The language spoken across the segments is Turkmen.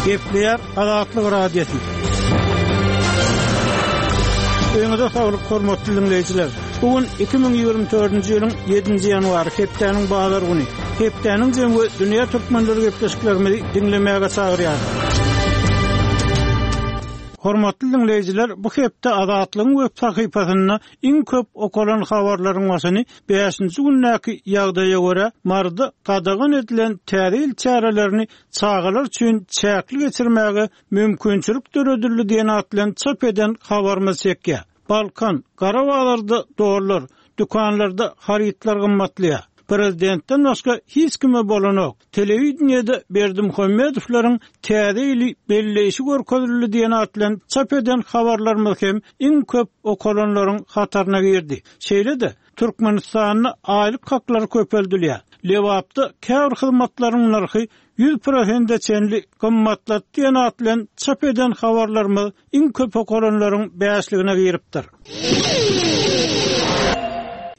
Gepleýär Azatlyk Radiosy. Öňüňize saglyk, hormatly diňleýjiler! Bu gün 2024-nji ýylyň ýedinji ýanwary, hepdäniň bazar güni. Hepdäniň jemi we dünýä türkmenleri gepleşiklerimizi diňlemäge çagyrýar. Hormatly diňleýjiler, bu hepde Azatlygyň web sahypasynda iň köp okalan habarlaryň başyny bäşinji gündäki ýagdaýa görä, Maryda gadagan edilen Täze ýyl çärelerini çagalar üçin çäkli geçirmäge mümkinçilik döredildi diýen at bilen çap eden habarymyz çekýär. Balkan, gara bazarda dollar, dükanlarda harytlar gymmatlaýar. Prezidentden başga hiç kime bolanok. Telewideniýede Berdimuhamedowlaryň Täze ýyly belleýşi görkezildi diýen at bilen çap eden habarlarymyz hem iň köp okalanlaryň hataryna girdi. Şeýle-de, Türkmenistanda aýlyk haklary köpeldilýär. Lebapda käbir hyzmatlaryň nyrhy 100 prosente çenli gymmatlady diýen at bilen çap eden habarlarymyz iň köp okalanlaryň bäşligine giripdir.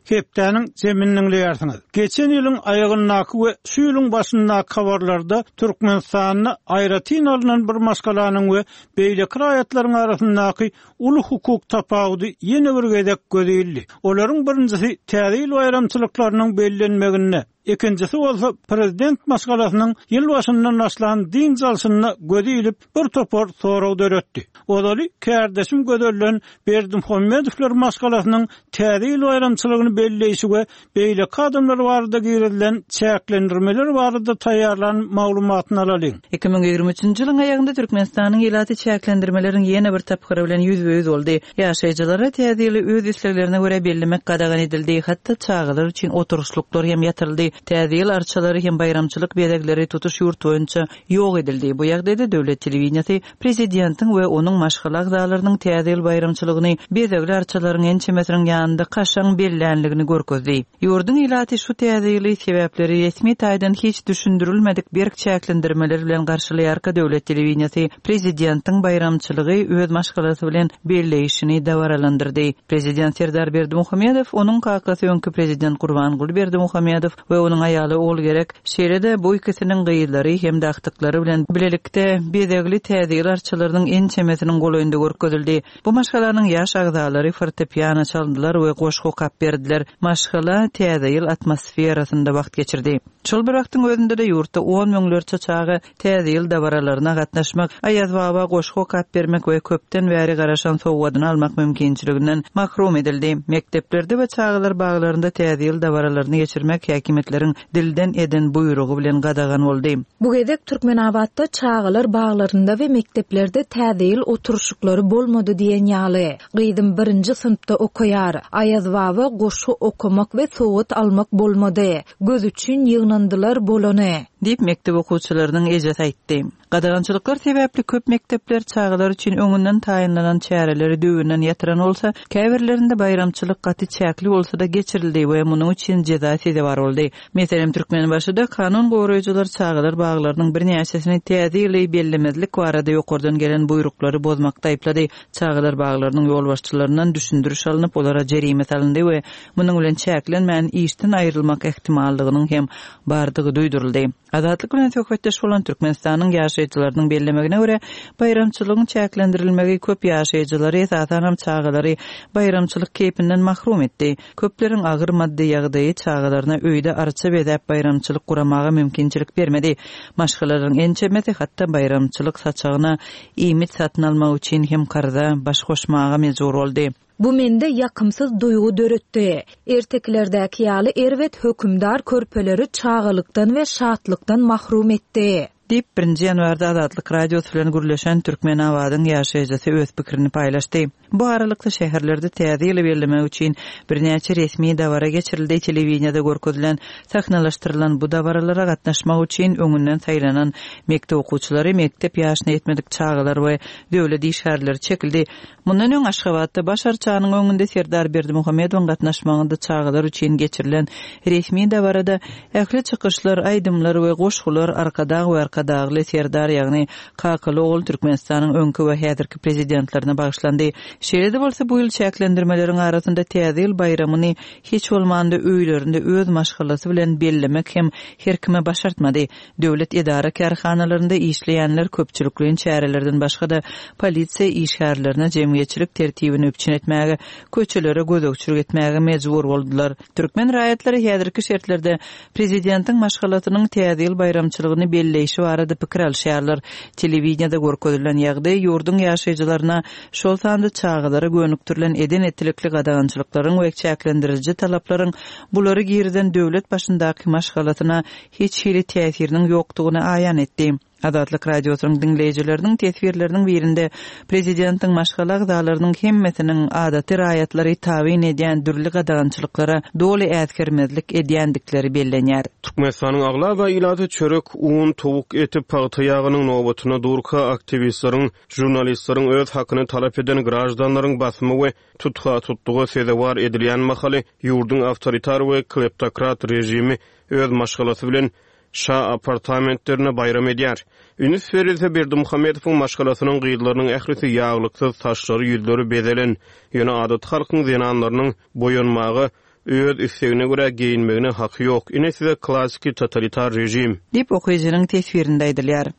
Hepdäniň jemini diňleýärsiňiz. Geçen ýylyň aýagyndaky we şu ýylyň başyndaky habarlarda Türkmenistanda aýratyn alnan bir maşgalanyň we beýleki raýatlaryň arasyndaky uly hukuk tapawudy ýene bir gezek göze ildi. Olaryň birinjisi Täze ýyl baýramçylyklarynyň bellenmeginde, ikinjisi bolsa prezident maşgalasynyň ýyl başyndan başlan dynç alşynda göze ilip, bir topar sorag döretdi. Ozaly kärdeşim Gözelden Berdimuhamedowlar maşgalasynyň Täze ýyl baýramçylygyny belleýşi we beýleki adamlar barada girizilen çäklendirmeler barada taýýarlan maglumatyny alalyň. 2023-nji ýylyň aýagynda Türkmenistanyň ilaty çäklendirmeleriň ýene bir tapgyry bilen ýüzbe-ýüz boldy. Ýaşaýjylara Täze ýyly öz isleglerine görä bellemek gadagan edildi, hatda çagalar üçin oturyşlyklar hem ýatyryldy. Täze ýyl arçalary hem baýramçylyk bezegleri tutuş ýurt boýunça ýok edildi. Bu ýagdaýda döwlet telewideniýesi Prezidentiň we onuň maşgala agzalarynyň Täze ýyl baýramçylygyny bezegli arçalaryň ençemesiniň ýanynda kaşaň bellänligini görkezdi. Ýurduň ilaty şu Täze ýyly sebäpleri resmi taýdan hiç düşündirilmedik berk çäklendirmeler bilen garşylaýarka döwlet telewideniýesi prezidentiň baýramçylygy öz maşgalasy bilen belleýşini dabaralandyrdy. Prezident Serdar Berdimuhamedow, onuň kakasy öňki prezident Gurbanguly Berdimuhamedow we onuň aýaly Ogulgerek, şeýle-de bu ikisiniň gyzlary hem-de agtyklary bilen bilelikde bezegli Täze ýyl arçalarynyň ençemesiniň golaýynda görkezildi. Bu maşgalanyň ýaş agzalary fortepiano çaldylar we goşgy okap berdiler. Maşgala Täze ýyl atmosferasynda wagt geçirdi. Şol bir wagtyň özünde-de ýurtda on müňlerçe çaga Täze ýyl dabaralaryna gatnaşmak, Aýazbaba goşgy okap bermek we köpden bäri garaşan sowgadyny almak mümkinçiliginden mahrum edildi. Mekdeplerde we çagalar baglarynda Täze ýyl dabaralaryny geçirmek häkimiýetleriň dilden eden buýrugy bilen gadagan boldy. Bu gezek Türkmenabatda çagalar baglarynda we mekdeplerde Täze ýyl oturyşyklary bolmady diýen ýaly. Gyzym birinji synpda okaýar. Aýazbaba goşgy okamak we sowgat almak bolmady. Göz üçin ýygnandylar bolany. Diýip, mekdep okuwçylarynyň ejesi aýtdy. Gadagançylyklar sebäpli köp mekdepler çagalar üçin öňünden taýynlanan çäreleri düýbünden ýatyran bolsa, käbirlerinde baýramçylyk gaty çäkli bolsa-da geçirildi we munuň üçin jeza sezewar boldy. Meselem, Türkmenbaşyda kanun goraýjylar çagalar baglarynyň birnäçesini Täze ýyly bellemezlik barada ýokardan gelen buýruklary bozmakda aýyplady. Çagalar baglarynyň ýolbaşçylaryndan düşündiriş alnyp, olara jerime salyndy we munuň bilen çäklenmän, işden aýrylmak ähtimallygynyň hem bardygy duýduryldy. Azatlyk bilen söhbetdeş bolan Türkmenistanyň ýaşaýjylarynyň bellemegine görä, baýramçylygyň çäklendirilmegi köp ýaşaýjylary, esasanam çagalary baýramçylyk keýpinden mahrum etdi. Köpleriň agyr maddy ýagdaýy çagalaryna öýde arça bezäp baýramçylyk guramaga mümkinçilik bermedi. Maşgalalaryň ençemesi hatda baýramçylyk saçagyna iýmit satyn almak üçin hem karza baş goşmaga mejbur boldy. Bu mende ýakymsyz duýgy döretdi. Ertekilerdäki ýaly erbet hökümdar körpeleri çagalykdan we şatlykdan mahrum etdi. Diýip, birinji ýanwarda Azatlyk Radiosy bilen gürleşen Türkmenabadyň ýaşaýjysy öz pikirini paýlaşdy. Bu aralykda, şäherlerde Täze ýyly bellemek üçin birnäçe resmi dabara geçirildi, telewideniýede görkezilen sahnalaşdyrylan bu dabaralara gatnaşmak üçin öňünden saýlanan mekdep okuwçylary, mekdep ýaşyna ýetmedik çagalar we döwlet işgärleri çekildi. Mundan öň Aşgabatda Baş arçanyň öňünde Serdar Berdimuhamedowyň gatnaşmagynda çagalar üçin geçirilen resmi dabarada ähli çykyşlar, aýdymlar we goşgular Arkadag we Arkadag. Arkadagly Serdar, ýagny kakaly-ogul Türkmenistanyň öňki we häzirki Prezidentlerine bagyşlandy. Şeýle-de bolsa, bu ýyl çäklendirmeleriň arasynda Täze ýyl baýramyny hiç bolmanda öýlerinde öz maşgalasy bilen bellemek hem her kime başartmady. Döwlet edara-kärhanalarynda işleýänler köpçülikleýin çärelerden başga-da, polisiýa işgärlerine jemgyýetçilik tertibini üpjün etmäge, köçelere gözegçilik etmäge mejbur boldular. Türkmen raýatlary häzirki şertlerde prezidentiň maşgalasynyň Täze ýyl baýramçylygyny belleýşi barada pikir alyşýarlar. Telewideniýede görkezilen ýagdaý ýurduň ýaşaýjylaryna, şol sanda çagalara gönükdirilen eden-etdilikli gadagançylyklaryň we çäklendiriji talaplaryň bulary girizen döwlet başyndaky maşgalasyna hiç hili täsiriniň ýokdugyny aýan etdi. Azatlyk Radiosynyň diňleýjileriniň teswirleriniň birinde prezidentiň maşgala agzalarynyň hemmesiniň adaty raýatlary tabyn edýän dürli gadagançylyklara doly äsgermezlik edýändikleri bellenýär. Türkmenistanyň aglaba ilaty çörek, un, towuk eti, pagta ýagynyň nobatynda durka, aktiwistleriň, žurnalistleriň öz hakyny talap eden graždanlaryň basymy we tutha-tutluga sezewar edilýän mahaly ýurduň awtoritar we kleptokrat režimi öz maşgalasy bilen şa apartamentlerinde baýram edýär. Üns berilse, Berdimuhamedowyň maşgalasynyň gyzlarynyň ählisi ýaglyksyz, saçlary, ýüzleri bezelen. Ýöne adaty halkyň zenanlarynyň boýanmaga, öz islegine görä geýinmegine haky ýok. Ine size klassiki totalitar režim. Diýip, okyjynyň teswirinde aýdylýar.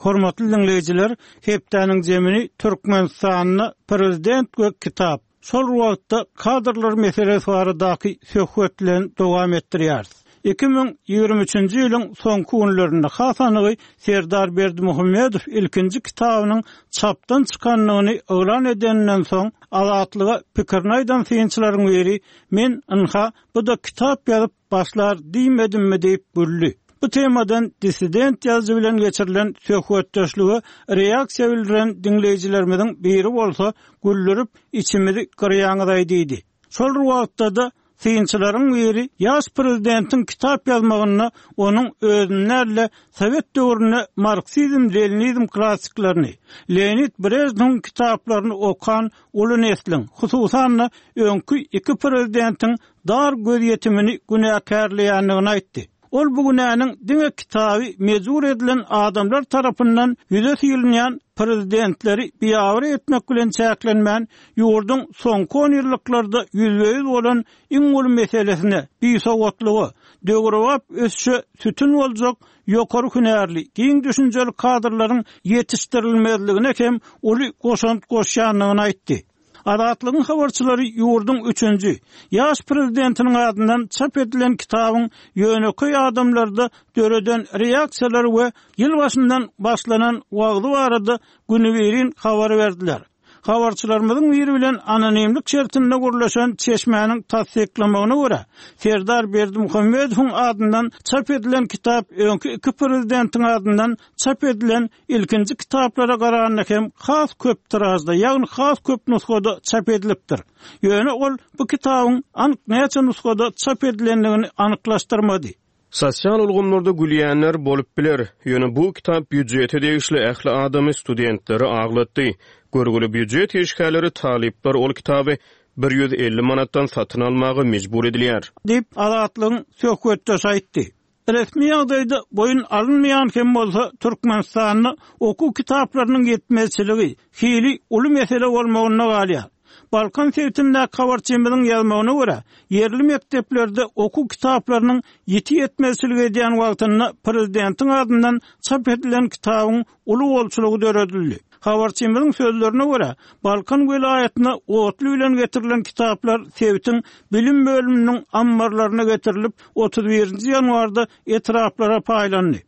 Hormatly diňleýjiler, hepdäniň jemini Türkmenistanda Prezident we kitap, Şol wagtda kadrlar meselesi baradaky söhbet bilen dowam etdirýäris. 2023-nji ýylyň soňky günlerinde, has anygy Serdar Berdimuhamedow ilkinji kitabynyň çapdan çykandygyny yglan edeninden soň, Azatlyga pikirini aýdan synçylaryň biri, Men, ynha, bu-da kitap ýazyp başlar diýmedimmi diýip güldi. Bu temadan dissident ýazyjy bilen geçirilen söhbetdeşlige reaksiýa bildiren diňleýjilerimiziň biri bolsa, Güldürip, içimizi gyrýaňyz-aý diýdi. Şol bir wagtda-da, synçylaryň biri ýaş prezidentiň kitap ýazmagynda onuň özüni däl-de, sowet döwründe marksizm-leninizm klassyklaryny, Leonid Brežnewiň kitaplaryny okan uly nesliň, hususan-da, öňki iki prezidentiň dar gözýetimini günäkärleýändigini aýtdy. Ol bu günäniň diňe kitaby mejbur edilen adamlar tarapyndan ýüze sylynýan prezidentleri biabraý etmek bilen çäklenmän, ýurduň soňky onýyllyklarda ýüzbe-ýüz bolan iň uly meselesine, bisowatlyga, döwrebap ösüşe sütün boljak ýokary hünärli, giň düşünjeli kadrlaryň ýetişdirilmezligine hem uly goşant goşýandygyny aýtdy. Azatlygyň habarçylary ýurduň üçünji, ýaş prezidentiniň adyndan çap edilen kitabyň ýönekeý adamlarda döreden reaksiýalary we ýyl başyndan başlanan wagzy barada günübirin habar berdiler. Habarçylarymyzyň biri bilen anonimlik şertinde gürleşen çeşmäniň tassyklamagyna görä, Serdar Berdimuhamedowyň adyndan çap edilen kitap öňki iki prezidentiň adyndan çap edilen ilkinji kitaplara garanda hem has köp tiražda, ýagny has köp nusgada çap edilipdir. Ýöne ol bu kitabyň anyk näçe nusgada çap edilendigini anyklaşdyrmady. Sosial ulgamlarda gülýänler bolup biler, ýöne bu kitap býujete degişli ähli adamy, studentleri aglatdy. Görgüli býujet işgärleri, talyplar ol kitaby 150 manatdan satyn almaga mejbur edilýär. Diýip, Azatlygyň söhbetdeşi aýtdy. Resmi ýagdaýda boýun alynmaýan hem bolsa, Türkmenistanda okuw kitaplarynyň ýetmezçiligi hili uly mesele bolmagynda galýar. Balkan sebitindäki habarçymyzyň ýazmagyna görä, ýerli mekdeplerde okuw kitaplarynyň ýiti ýetmezçilik edýän wagtynda prezidentiň adyndan çap edilen kitabyň uly bolçulygy döredildi. Habarçymyzyň sözlerine görä, Balkan welaýatyna otly bilen getirilen kitaplar sebitiň bilim bölüminiň ammarlaryna getirilip, 31-nji ýanwarda etraplara paýlandy.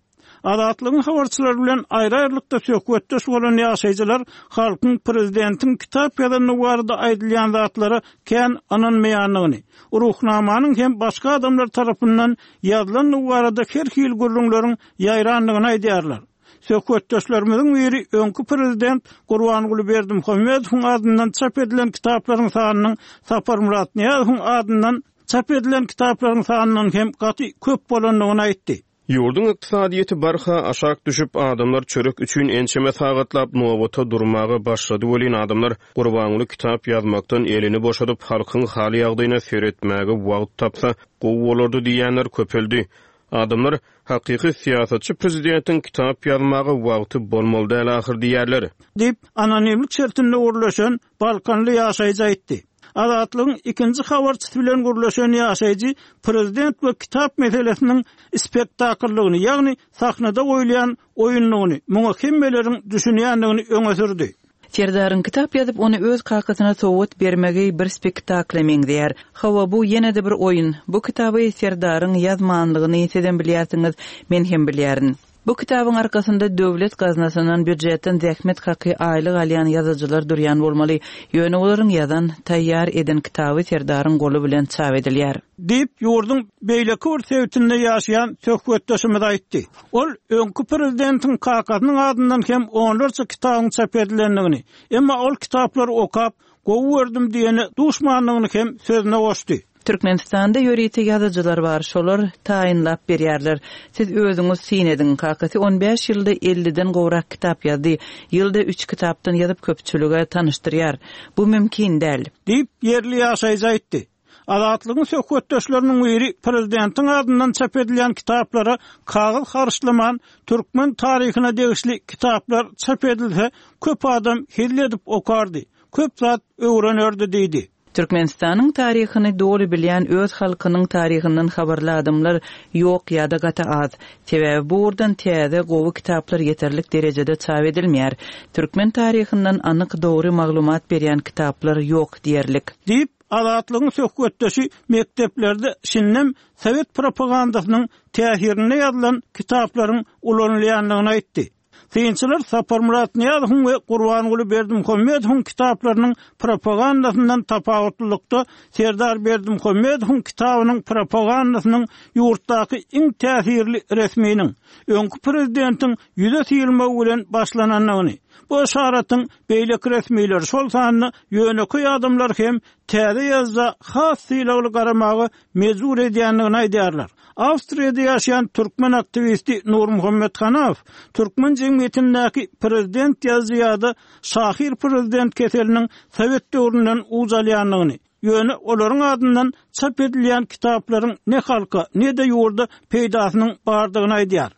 Azatlygyň habarçylary bilen aýry-aýrylykda söhbetdeş bolan ýaşaýjylar halkyň prezidentiň kitap ýazandygy barada aýdylýan zatlara kän ynanmaýandygyny, Ruhnamanyň hem başga adamlar tarapyndan ýazylandygy barada her hili gürrüňleriň ýaýrandygyny aýdýarlar. Söhbetdeşlerimiziň biri öňki prezident Gurbanguly Berdimuhamedowyň adyndan çap edilen kitaplaryň sanynyň Saparmyrat Nyýazowyň adyndan çap edilen kitaplaryň sanyndan hem gaty köp bolandygyny aýtdy. Ýurduň ykdysadyýeti barha aşak düşüp, adamlar çörek üçin ençeme sagatlap nobata durmaga başlady welin, adamlar Gurbanguly kitap ýazmakdan elini boşadyp, halkyň hal-ýagdaýyna seretmäge wagt tapsa, gowy bolardy diýýänler köpeldi. Adamlar, hakyky syýasatçy prezidentiň kitap ýazmaga wagty bolmaly däl ahyr diýýärler. Diýip, anonimlik şertinde gürleşen balkanly ýaşaýjy aýtdy. Azatlygyň ikinji habarçysy bilen gürleşen ýaşaýjy prezident we kitap meselesiniň spektakldygyny, ýagny sahnada goýulýan oýundygyny, muňa hemmeleriň düşünýändigini öňe sürdi. Serdaryň kitap ýazyp, ony öz kakasyna sowgat bermegi bir spektakla meňzeýär. Hawa, bu ýene-de bir oýun. Bu kitaby Serdaryň ýazmanlygyny sizem bilýärsiňiz, men hem bilýärin. Bu kitabyň arkasynda döwlet gaznasyndan, býujetden zähmet haky, aýlyk alýan ýazyjylar durýan bolmaly. Ýöne olaryň ýazan, taýýar eden kitaby Serdaryň goly bilen çap edilýär. Diýip, ýurduň beýleki bir sebitinde ýaşaýan söhbetdeşimiz aýtdy. Ol öňki prezidentiň kakasynyň adyndan hem onlarça kitabyň çap edilendigini, emma ol kitaplary okap, gowy gördüm diýene duşmandygyny hem sözüne goşdy. Türkmenistanda ýörite ýazyjylar bar, şolar taýynlap berýärler. Siz özüňiz syn ediň, kakasy on bäş ýylda elliden gowrak kitap ýazdy, ýylda üç kitapdan ýazyp köpçülige tanyşdyrýar. Bu mümkin däl. Diýip, ýerli ýaşaýjy aýtdy. Azatlygyň söhbetdeşleriniň biri prezidentiň adyndan çap edilýän kitaplara kagyz harçlaman, türkmen taryhyna degişli kitaplar çap edilse, köp adam hezil edip okardy, köp zat öwrenerdi diýdi. Türkmenistanyň taryhyny doly bilýän öz halkynyň taryhyndan habarly adamlar ýok ýa-da gaty az. Sebäbi bu ugurdan täze, gowy kitaplar ýeterlik derejede çap edilmeýär. Türkmen taryhyndan anyk, dogry maglumat berýän kitaplar ýok diýerlik. Diýip, Azatlygyň söhbetdeşi mekdeplerde şindem sowet propagandasynyň täsirinde ýazylan kitaplaryň ulanylýandygyny aýtdy. Synçylar Saparmyrat Nyýazowyň we Gurbanguly Berdimuhamedowyň kitaplarynyň propagandasyndan tapawutlylykda Serdar Berdimuhamedowyň kitabynyň propagandasynyň ýurtdaky iň täsirli resminiň, öňki prezidentiň ýüze syrylmagy bilen başlanandygyny, bu yşaratyň beýleki resmileri, şol sanda ýönekeý adamlary hem täze ýazyja has sylagly garamaga mejbur edýändigini aýdýarlar. Awstriýada ýaşaýan türkmen aktiwisti Nurmuhammet Hanaw türkmen jemgyýetindäki prezident ýazyjy ýa-da şahyr prezident keseliniň sowet döwründen uç alýandygyny, ýöne olaryň adyndan çap edilýän kitaplaryň ne halka, ne-de ýurda peýdasynyň bardygyny aýdýar.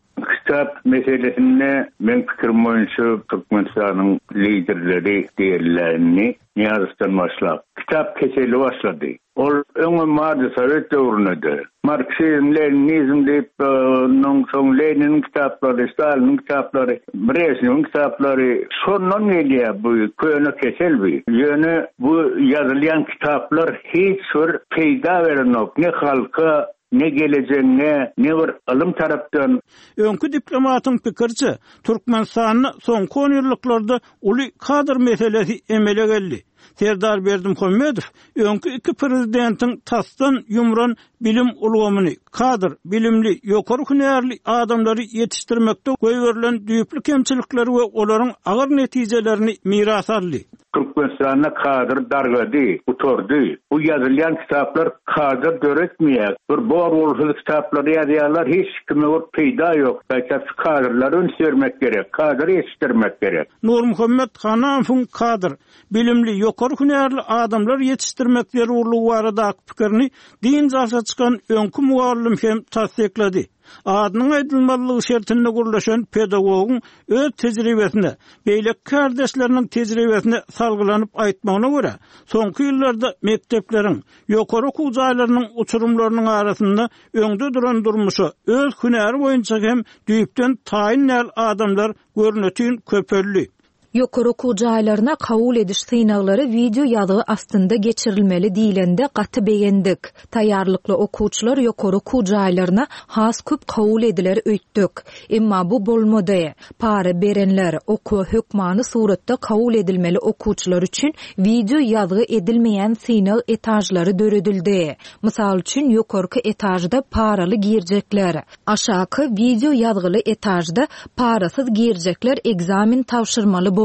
Kitap meselesinde meň pikirim boýunça Türkmenistanyň liderleri diýeliä indi Nyýazowdan başlap kitap keseli başlady. Ol öňem bardy sowet döwründe-de. Marksizm, leninizm diýip ondan soň Leniniň kitaplary, Staliniň kitaplary, Brežnewiň kitaplary şondan gelýär bu köne kesel bu. Ýöne bu ýazylýan kitaplar hiç bir peýda berenok ne halka, Ne gelejegiňe, ne bir ylym tarapdan. Öňki diplomatyň pikiriçe, Türkmenistanda soňky onýyllyklarda uly kadr meselesi emele geldi. Serdar Berdimuhamedow öňki iki prezidentiň tasdan ýumran bilim ulgamyny, kadr, bilimli, ýokary hünärli adamlary ýetişdirmekde goýberilen düýpli kemçilikleri we olaryň agyr netijelerini miras aldy. Türkmenistanda kadr dargady, gutardy. Bu ýazylýan kitaplar kadr döretmeýär. Bir bor-bolsuz kitaplary ýazýarlar, hiç kime bir peýda ýok. Gaýta şu kadrlara üns bermek gerek, kadr ýetişdirmek gerek. Nurmuhammet Hanamowyň kadr, bilimli, ýokary hünärli adamlar ýetişdirmek zerurlygy baradaky pikirini dynç alşa çykan öňki mugallym hem tassyklady. Adynyň aýdylmazlygy şertinde gürleşen pedagogyň öz tejribesine, beýleki kärdeşleriniň tejribesine salgylanyp aýtmagyna görä, soňky ýyllarda mekdepleriň, ýokary okuw jaýlarynyň uçurymlarynyň arasynda öňde duran durmuşa öz hünäri boýunça hem düýpden taýyn däl adamlar görnetin köpeldi. Ýokary okuw jaýlaryna kabul ediş synaglary wideo ýazgy astynda geçirilmeli diýlende gaty begendik. Taýýarlykly okuwçylar ýokary okuw jaýlaryna has köp kabul ediler öýtdük. Emma bu bolmady. Para berenler, okuwa hökmany suratda kabul edilmeli okuwçylar üçin wideo ýazgy edilmeýän synag etažlary döredildi. Mysal üçin, ýokarky etažda paraly girjekler, Aşaky, wideo ýazgyly etažda parasyz girjekler ekzamen tabşyrmaly boldy.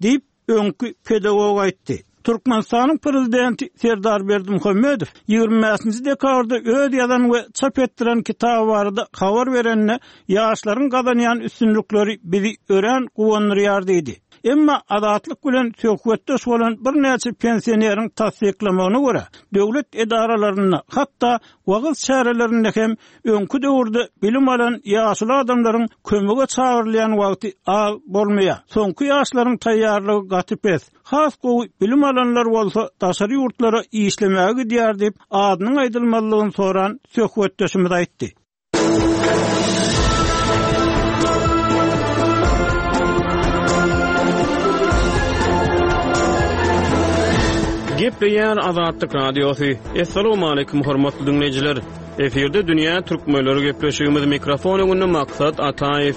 Diýip, öňki pedagog aýtdy. Türkmenistanyň Prezidenti Serdar Berdimuhamedow 25-nji dekabrda öz ýazan we çap etdiren kitaby barada habar berende, ýaşlaryň gazanýan üstünlikleri bizi örän guwandyrýar diýdi. Emma Azatlyk bilen söhbetdeş bolan birnäçe pensioneriň tassyklamagyna görä, döwlet edaralarynda, hatda wagyz çärelerinde hem öňki döwürde bilim alan ýaşuly adamlaryň kömege çagyrylýan wagty az bolmaýar. Soňky ýaşlaryň taýýarlygy gaty pes. Has gowy bilim alanlar bolsa daşary ýurtlara işlemäge gidýär diýip, adynyň aýdylmazlygyny soran söhbetdeşimiz aýtdy. Gepleýär Azatlyk Radiosy. Assalamualaikum hormatly diňleýjiler. Efirde dünýä türkmenleri gepleşigimiz mikrofon öňünde Maksat Ataýew.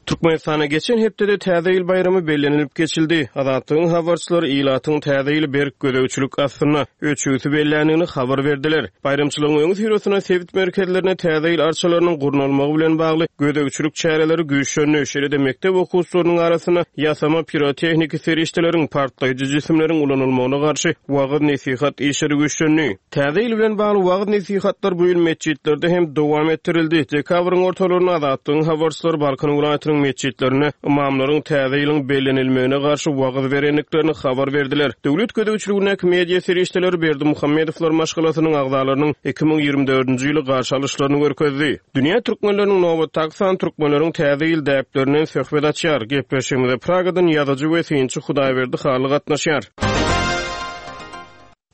Türkmenistanda geçen hepdede Täze ýyl baýramy bellenilip geçildi. Azatlygyň habarçylary ilatyň Täze ýyly berk gözegçilik astynda, öçügsi belländigini habar berdiler. Baýramçylygyň öňüsyrasynda sebit merkezlerinde Täze ýyl arçalarynyň gurnalmagy bilen bagly gözegçilik çäreleri güýçlendi, şeýle-de mekdep okuwçylarynyň arasynda ýasama pirotehniki serişdeleriň, partlaýjy jisimleriň ulanylmagyna garşy wagyz-nesihat işleri güýçlendi. Täze ýyl bilen bagly wagyz-nesihatlar bu ýyl metjitlerde hem dowam etdirildi. Dekabryň ortalarynda Azatlygyň habarçylary Balkan welaýatynyň metjitlerinde ymamlaryň Täze ýylyň bellenilmegine garşy wagyz berendiklerini habar berdiler. Döwlet gözegçiligindäki media serişdeleri Berdimuhamedowlar maşgalasynyň agzalarynyň 2024-nji ýyly garşy alyşlaryny görkezdi. Dünýä türkmenleriniň nobatdaky sany türkmenleriň Täze ýyl däplerinden söhbet açýar. Gepleşigimize Pragadan ýazyjy we synçy Hudaýberdi Hally gatnaşýar.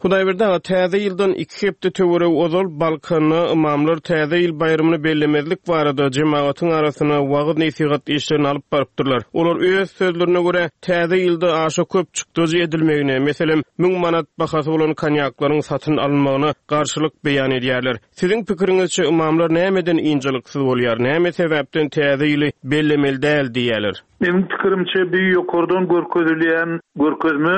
Hudaýberdi aga, Täze ýyldan iki hepde töweregi ozal Balkanda ymamlar Täze ýyl baýramyny bellemezlik barada jemagatyň arasynda wagyz-nesihat işlerini alyp barypdyrlar. Olar öz sözlerine görä, Täze ýylda aşa köp çykdajy edilmegine, meselem, müň manat bahasy bolan konýaklaryň satyn alynmagyna garşylyk beýan edýärler. Siziň pikiriňizçe, ymamlar nämeden ynjalyksyz bolýar, näme sebäpden Täze ýyly bellemeli däl diýýärler? Meniň pikirimçe, bu ýokardan görkezilýän görkezme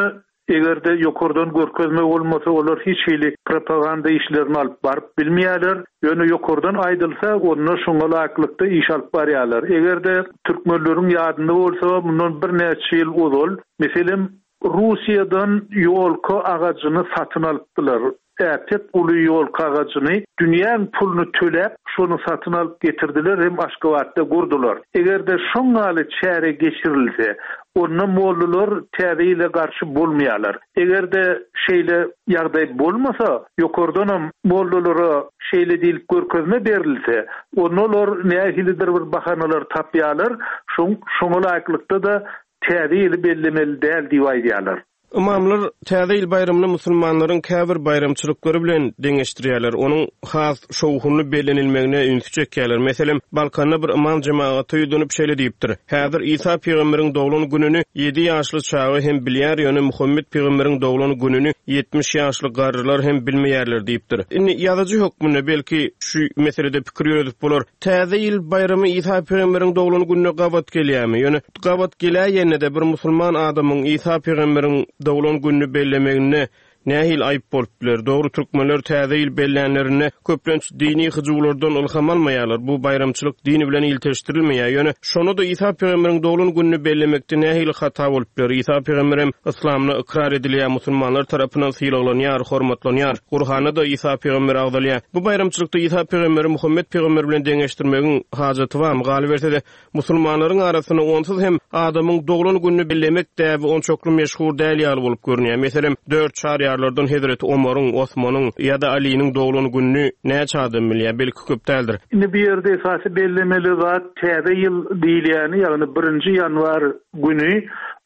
Eger-de ýokardan görkezme bolmasa, olar hiç hili propaganda işlerini alyp baryp bilmeýärler. Ýöne ýokardan aýdylsa, onda şoňa laýyklykda iş alyp barýarlar. Eger-de türkmenleriň ýadynda bolsa, mundan birnäçe ýyl ozal, meselem, Russiýadan ýolka agajyny satyn alypdylar. Äpet uly ýolka agajyny dünýäň puluny töläp, şony satyn alyp getirdiler hem Aşgabatda gurdular. Eger-de şoň ýaly çäre geçirilse, onda mollalar Täze ýyla garşy bolmaýarlar. Eger-de şeýle ýagdaý bolmasa, ýokardanam mollalara şeýle diýlip görkezme berilse, onda olar nähilidir bir bahanalar tapýarlar, şoň şoňa laýyklykda-da Täze ýyly bellemeli däl diýip aýdýarlar. Ymamlar Täze ýyl baýramyny musulmanlaryň käbir baýramçylyklary bilen deňeşdirýärler, onuň has şowhunly bellenilmegine ünsi çekýärler. Meselem, Balkanda bir ymam jemagata ýüzlenip şeýle diýipdir, Häzir Isa pygamberiň doglan gününi ýedi ýaşly çaga hem bilýär, ýöne Muhammet pygamberiň doglan gününi 70 ýaşly garrylar hem bilmeýärler diýipdir. Indi ýazyjy hökmünde belki şu meselede pikir ýöredip bolar. Täze ýyl baýramy Isa pygamberiň doglan gününe gabat gelýärmi? Ýöne Gabat geläýende-de bir musulman adamyň Isa pygamberiň doglan gününi bellemeginde nähili aýyp bolup biler? Dogry türkmenler täze ýyl bellänlerinde köplenç dini hyjuwlardan ylham almaýarlar, bu baýramçylyk din bilen ilteşdirilmeýär. Ýöne şonda-da Isa pygamberiň doglan gününi bellemekde nähili hata bolup biler? Isa pygamberem yslamda ykrar edilýär, musulmanlar tarapyndan sylaglanýar, hormatlanýar. Gurhanda-da Isa pygamber agzalýar. Bu baýramçylykda Isa pygamberi Muhammet pygamber bilen deňeşdirmegiň hajaty barmy? Galyberse-de, Musulmanlaryň arasynda onsuz hem adamyň doglan gününi bellemek däbi onçakly meşhur däl ýaly bolup görünýär. Meselem, dört çaryýarlardan hezreti Omaryň, Osmanyň ýa-da Alynyň doglan gününi näçe adam bilýär? Belki köp däldir. Indi bu ýerde esasy bellemeli zat Täze ýyl diýilýäni, ýagny birinji ýanwar güni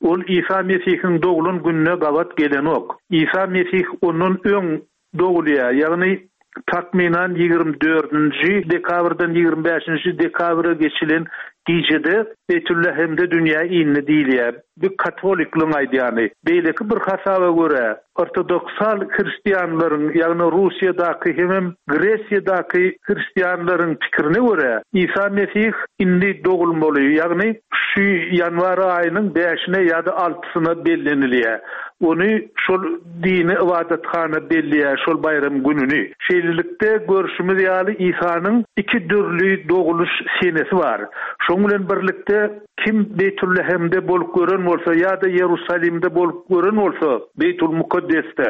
ol Isa Mesihiň doglan gününe gabat gelenok. Isa Mesih ondan öň Dogulýar, ýagny takmynan 24-nji dekabrdan 25-nji dekabra geçilen gijede Beýtüllehemde dünýä indi diýilýär. Bu katolikligiň aýdýany. Beýleki bir hasaba görä, ortodoksal hristianlaryň, ýagny Russiýadaky hemem Gresiýadaky hristianlaryň pikirine görä, Isa Mesih indi dogulmaly, ýagny şu ýanwar aýynyň bäşine ýa-da altysyna bellenilýär. Ony şol dini ybadathana belleýär şol baýram gününi. Şeýlelikde, görşümiz ýaly, Isanyň iki dürli dogulyş senesi bar. Şonuň bilen birlikde, kim Beýtullehemde bolup gören bolsa ýa-da Ýerusalimde bolup gören bolsa, Beýtul-Mukaddesde,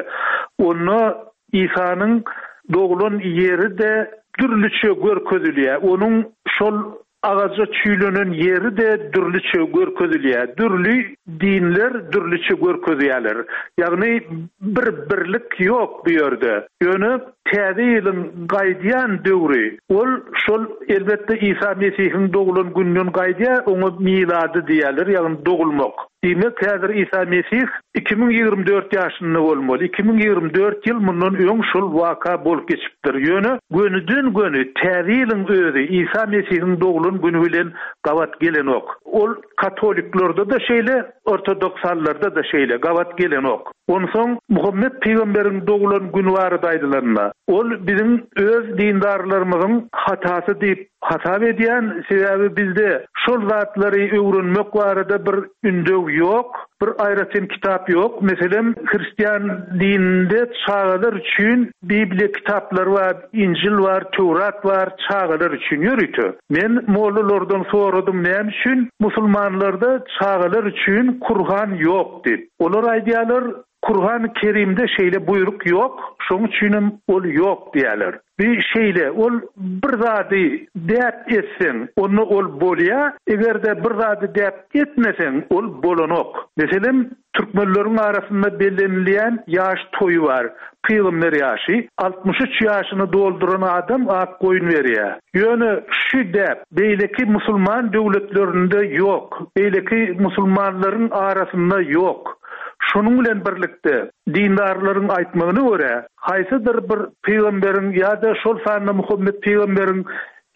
onda Isanyň doglan ýeri-de. dürlüçe görkezilýär. Onuň şol agaja çüýlenen ýeri-de dürlüçe görkezilýär. Dürli dinler dürlüçe görkezýärler. Ýagny bir birlik ýok bu ýerde. Ýöne Täze ýylyň gaýdýan döwri, ol şol elbetde Isa Mesihiň doglan gününden gaýdýar, oňa milady diýýärler, ýagny dogulmak. Diýmek, häzir Isa Mesih 2024 ýaşynda bolmaly. 2024 ýyl mundan öň şol waka bolup geçipdir. Ýöne gönüden-göni Täze ýylyň özi Isa Mesihiň doglan güni bilen gabat gelenok. Ol katoliklerde-de şeýle, ortodoksallarda-da şeýle, gabat gelenok. Onsoň Muhammet pygamberiň doglan güni barada aýdylanda, ol biziň öz dindarlarymyzyň hatasy diýip hasap edýän, sebäbi bizde şol zatlary öwrenmek barada bir ündew ýok, bir aýratyn kitap ýok. Meselem, hristian dininde çagalar üçin Bibliýa kitaplary bar, Injil bar, Töwrat bar, çagalar üçin ýörite. Men mollalardan soradym näme üçin musulmanlarda çagalar üçin Kurhan ýok diýip. Olar aýdýarlar, Kurhany Kerimde şeýle buýruk ýok, şoň üçinem ol ýok diýýärler. Bi şeýle, ol bir zady däp etseň, onda ol bolýar, eger-de bir zady däp etmeseň, ol bolanok. Meselem, Türkmenleriň arasynda bellenilýän ýaş toýy bar, pygamber ýaşy. 63 ýaşyny dolduran adam ak goýun berýär. Ýöne şu däp beýleki musulman döwletlerinde ýok, beýleki musulmanlaryň arasynda ýok. Şonuň bilen birlikde, dindarlaryň aýtmagyna görä, haýsydyr bir pygamberiň ýa-da şol sanda Muhammet pygamberiň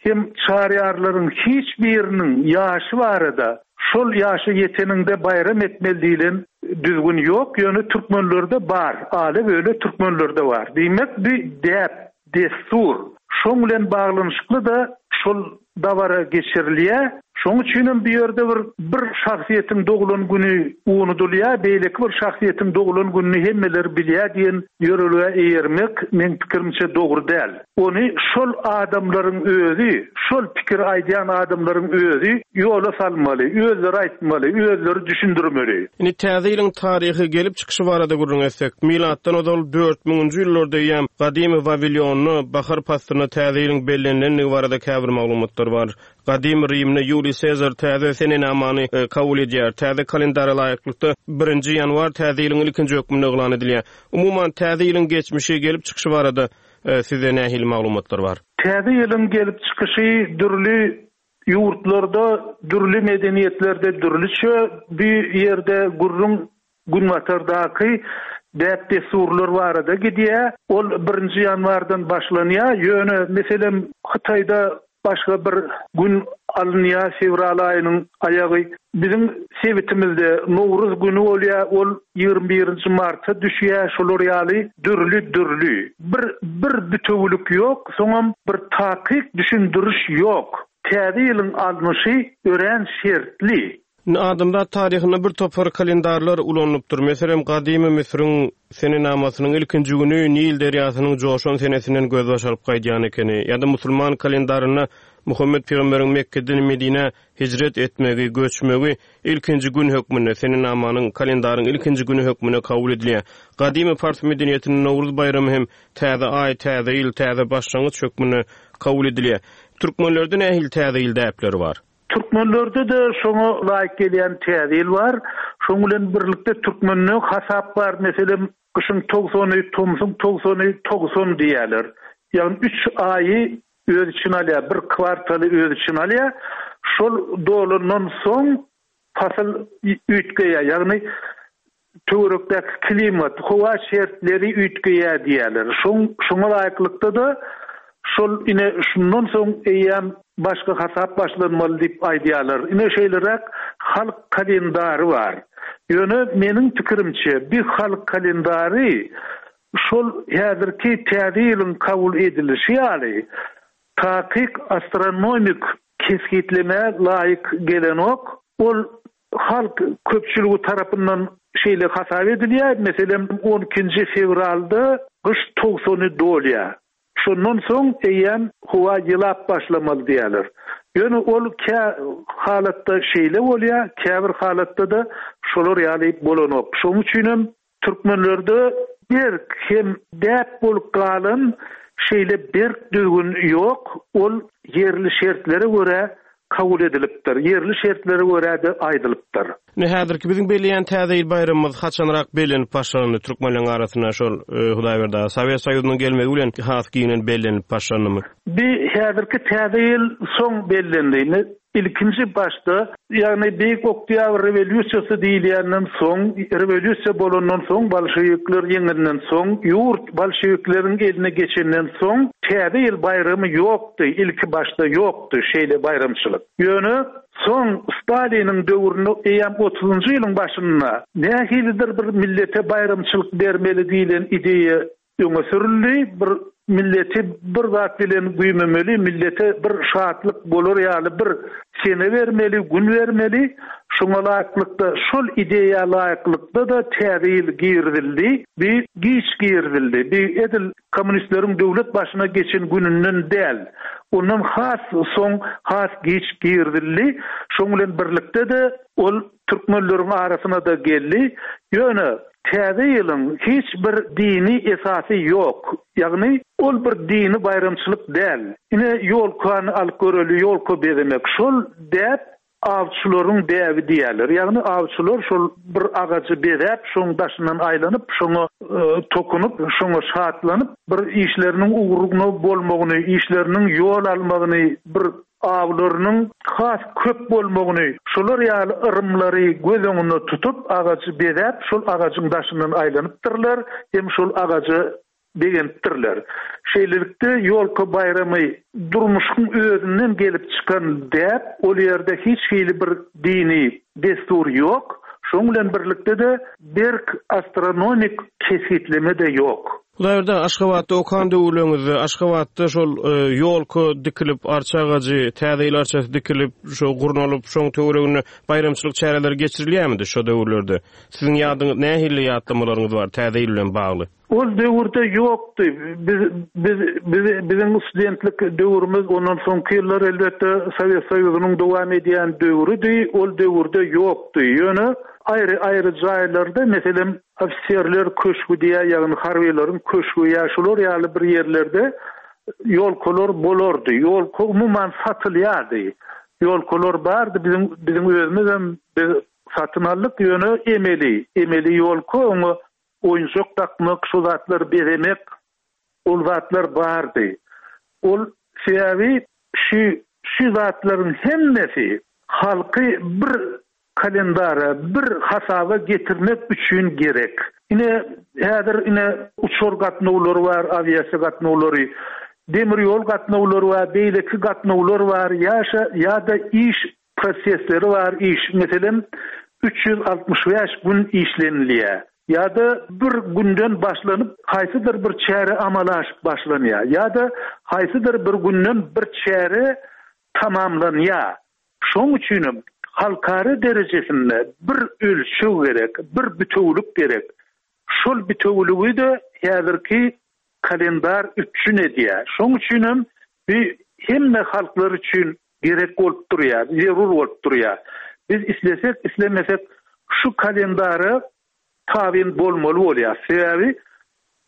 hem çaryýarlaryň hiç biriniň ýaşy barada şol ýaşa ýeteniňde baýram etmeli diýlen düzgün ýok, ýöne türkmenlerde bar, ale-böle türkmenlerde bar. Diýmek, bu däp, dessur. Şoň bilen baglanyşykly-da şol dabara geçirilýär. Şoň üçinem bu ýerde bir bir şahsyýetiň doglan güni unudylýar, beýleki bir şahsyýetiň doglan gününi hemmeler bilýär diýen ýörelgä eýermek, meň pikirimçe, dogry däl. Ony şol adamlaryň özi, şol pikiri aýdýan adamlaryň özi ýola salmaly, özleri aýtmaly, özleri düşündirmeli. Indi Täze ýylyň taryhy gelip çykyşy barada gürrüň etsek, milatdan ozal dört müňünji ýyllarda eýýäm gadymy Wawilýonda bahar paslynda Täze ýylyň bellenilendigi barada käbir maglumatlar bar. Gadymy Rimde Ýuliý Sezar täze senenamany kabul edýär. Täze kalendara laýyklykda, birinji ýanwar Täze ýylyň ilkinji hökmünde yglan edilýär. Umuman, Täze ýylyň geçmişi, gelip çykyşy barada sizde nähili maglumatlar bar? Täze ýylyň gelip çykyşy dürli ýurtlarda, dürli medeniýetlerde dürlüçe. Bu ýerde gürrüň Günbatardaky däp-dessurlar barada gidýär. Ol birinji ýanwardan başlanýar. Ýöne, meselem, Hytaýda başga bir gün alynýar, fewral aýynyň aýagy. Biziň sebitimizde Nowruz güni bolýar, ol 21-nji marta düşýär. Şolar ýaly dürli-dürli. Bir bir bitewülik ýok, soňam bir takyk düşündiriş ýok. Täze ýylyň alnyşy örän şertli. Indi adamzat taryhynda bir topar kalendarlar ulanylypdyr. Meselem, gadymy Müsüriň senenamasynyň ilkinji güni Nil derýasynyň joşan senesinden gözbaş alyp gaýdýan ekeni. Ýa-da musulman kalendarynda Muhammet pygamberiň Mekgeden Medinä hijret etmegi, göçmegi ilkinji gün hökmünde, senenamanyň, kalendaryň ilkinji güni hökmünde kabul edilýär. Gadymy pars medeniýetinde Nowruz baýramy hem täze aý, täze ýyl, täze başlangyç hökmünde kabul edilýär. Türkmenlerde nähili täze ýyl däpleri bar? Türkmenlerde-de şoňa laýyk gelýän Täze ýyl bar. Şoň bilen birlikde türkmende hasap bar, meselem, gyşyň togsany, tomsuň togsany, 90 diýýärler. Ýagny üç aýy öz içine alýar, bir kwartaly öz içine alýar. Şol dolandan soň pasyl üýtgeýär, ýagny töwerekdäki klimat, howa şertleri üýtgeýär diýýärler. Şoň şoňa laýyklykda-da şol ine şundan soň eýýäm başga hasap başlanmaly diýip aýdýarlar. Ine şeýleräk halk kalendary bar. Ýöne meniň pikirimçe bi halk kalendary şol häzirki täze ýylyň kabul edilişi ýaly takyk astronomik kesgitlemä laýyk gelenok. Ol Halk köpçüligi tarapyndan şeýle hasap edilýär, meselem, on ikinji fewralda gyş togsany dolýar. Şondan soň eýýäm howa ýylap başlamaly diýýärler. Ýöne ol kä halatda şeýle bolýar, käbir halatda-da şolar ýaly bolanok. Şonuň üçinem Türkmenlerde berk hem däp bolup galan. Şeýle berk düzgün ýok, ol ýerli şertlere görä kabul edilipdir, ýerli şertlere görä-de aýdylypdyr. Indi häzirki biziň belleýän Täze ýyl baýramymyz haçanrak bellenip başlandy türkmenleriň arasynda şol Hudaýberdi aga? Sowet Soýuzynyň gelmegi bilen has giňden bellenilip başlandymy? Bi häzirki Täze ýyl soň bellendi. Indi ilkinji başda, ýagny Beýik Oktýabr rewolýusiýasy diýilýänden soň, rewolýusiýa bolandan soň, bolşewikler ýeňenden soň, ýurt bolşewikleriň eline geçenden soň Täze ýyl baýramy ýokdy, ilki başda ýokdy şeýle baýramçylyk. Ýöne Soň Staliniň döwründe eýýäm otuzynjy ýylyň başynda nähilidir bir millete baýramçylyk bermeli diýlen ideýa öňe sürüldi. Bir milleti bir zat bilen güýmemeli, millete bir şatlyk bolar ýaly bir sene bermeli, gün bermeli. Şoňa laýyklykda, şol ideýa laýyklykda-da Täze ýyl girizildi. Bi giç girizildi. Bi edil Kommunistleriň döwlet başyna geçen gününden däl, ondan has soň, has giç girizildi. Şoň bilen birlikde-de ol türkmenleriň arasyna-da geldi. Ýöne Täze ýylyň hiç bir dini esasy ýok. Ýagny ol bir dini baýramçylyk däl. Ine, ýolkany alyp göreli, ýolka bezemek. Şol däp Awçylaryň däbi diýýärler. Ýagny awçylar şol bir agajy bezäp, şoň daşyndan aýlanyp, şoňa tokunyp, şoňa şatlanyp, bir işleriniň ugruna bolmagyny, işleriniň ýol almagyny, bir awlarynyň has köp bolmagyny, şolar ýaly yrymlary göz öňünde tutup, agajy bezäp, şol agajyň daşyndan aýlanypdyrlar hem şol agaja begenipdirler. Şeýlelikde, ýolka baýramy durmuşyň özünden gelip çykan däp, ol ýerde hiç hili bir dini dessur ýok, şonuň bilen birlikde-de berk astronomik kesgitleme-de ýok. Hudaýberdi, Aşgabatda okan döwürleriňizde Aşgabatda şol ýolka dikilip, arça agajy, Täze ýyl arçasy dikilip, şo gurnalyp, şoň töwereginde baýramçylyk çäreleri geçirilýärmidi şo döwürlerde? Siziň ýadyňyz, nähili ýatlamalaryňyz bar Täze ýyl bilen bagly? Ol döwürde ýokdy. Biz biz biz biziň studentlik döwrümiz ondan soňky ýyllar elbetde Sowet Soýuzynyň dowam edýän döwrüdi. Ol döwürde ýokdy. Ýöne aýry-aýry jaýlarda, meselem, ofiserler köşgi diýýär, ýagny harbylaryň köşgi ýa şular ýaly bir ýerlerde ýolkalar bolardy. Ýolka umuman satylýardy. Ýolkalar bardy. Biziň biziň özümizem biz satyn aldyk. Ýöne emeli, emeli ýolka oňa Oýunjak dakmak, şo zatlary bezemek, ol zatlar bardy. Ol sebäbi şu şu zatlaryň hemmesi halky bir kalendara, bir hasaba getirmek üçin gerek. Ine, häzir ine uçar gatnawlary bar, awiasiýa gatnawlary, demir ýol gatnawlary bar, beýleki gatnawlar bar, ýaşa ýa-da iş Prosesleri bar iş, meselem, 365 gün işlenilýär ýa-da bir günden başlanyp haýsydyr bir çäre amala aşyp başlanýar ýa-da haýsydyr bir günden bir çäre tamamlanýar. Şonuň üçinem halkara derejesinde bir ölçeg gerek, bir bitewülik gerek. Şol bitewüligi-de häzirki kalendar üpjün edýär. Şonuň üçinem bu hemme halklar üçin gerek bolup durýar, zerur bolup durýar. Biz islesek, islemesek şu kalendara tabyn bolmaly bolýarys. Sebäbi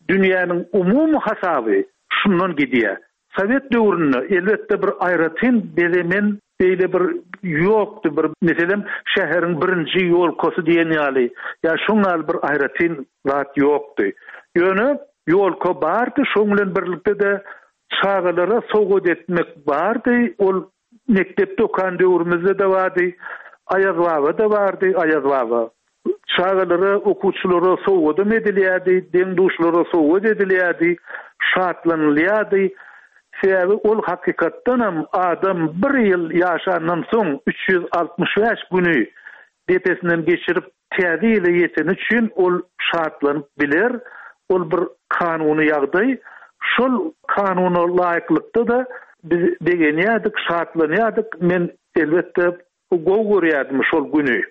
dünýäniň umumy hasaby şundan gidýär. Sowet döwründe elbetde bir aýratyn bezemen beýle bir ýokdy, bir meselem şäheriň birinji ýolkasy diýen ýaly ýa şoň ýaly bir aýratyn zat ýokdy. Ýöne ýolka bardy, şoň bilen birlikde-de çagalara sowgat etmek bardy, ol mekdepde okan döwrümizde-de bardy, Aýazbaba-da bardy, Aýazbaba. Çagalara, okuwçylara sowgadam edilýärdi, deň-duşlara sowgat edilýärdi, şatlanylýardy. Sebäbi ol hakykatdanam adam bir ýyl ýaşandan soň 365 güni depesinden geçirip täze ýyla ýeteni üçin ol şatlanyp biler. Ol bir kanuny ýagdaý. Şol kanuna laýyklykda-da biz begenýärdik, şatlanýardyk. Men elbetde gowy görýärdim şol güni.